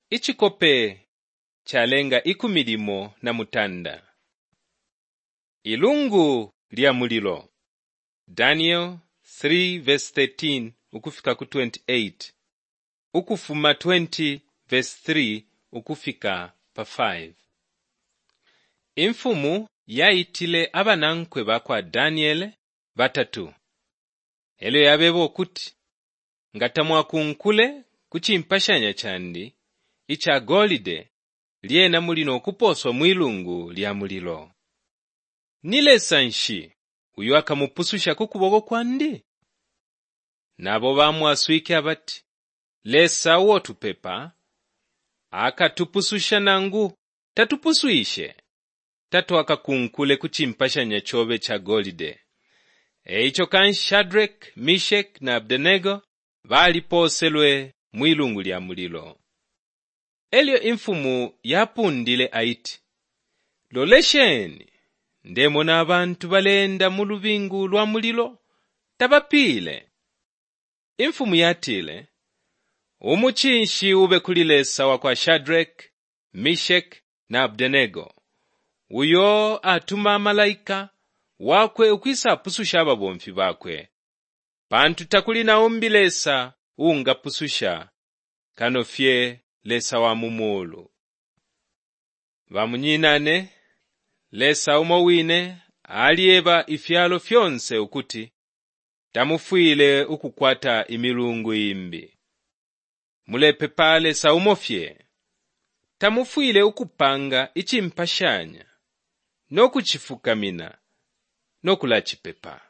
Icikope calenga 13. Ilungu lya mulilo. Daniel 3:13 ukufika ku 28, Ukufuma 20:3 ukufika pa 5. Imfumu yaitile abanankwe ba kwa Daniele batatu. E lyo yabeba ukuti, Nga tamwakunkule ku cimpashanya candi ica golide, lyena muli no kupooswa mwi lungu lya mulilo. Ni Lesa nshi uyo akamupususha ku kuboko kwandi? Nabo bamwaswike abati, Lesa uo tupepa akatupususha nangu tatupuswishe, tatwakakunkule ku cimpashanya cobe ca golide. E ico kanshi Shadraki, Meshaki na Abednego balipooselwe mwi lungu lya mulilo. E lyo imfumu yapundile aiti, Lolesheni, ndemona abantu baleenda mu lubingu lwa mulilo, tabapiile. Imfumu yatile, Umucinshi ube kuli Lesa wa kwa Shadraki, Meshaki na Abednego, uyo atuma malaika wakwe ukwisapususha ababomfi bakwe, pantu takuli na umbi Lesa uungapususha kano fye Lesa wa mu muulu. Bamunyinane, Lesa umo wine alyeba ifyalo fyonse ukuti tamufwile ukukwata imilungu imbi. Mulepepa Lesa umo fye. Tamufwile ukupanga icimpashanya no kucifukamina no kulacipepa.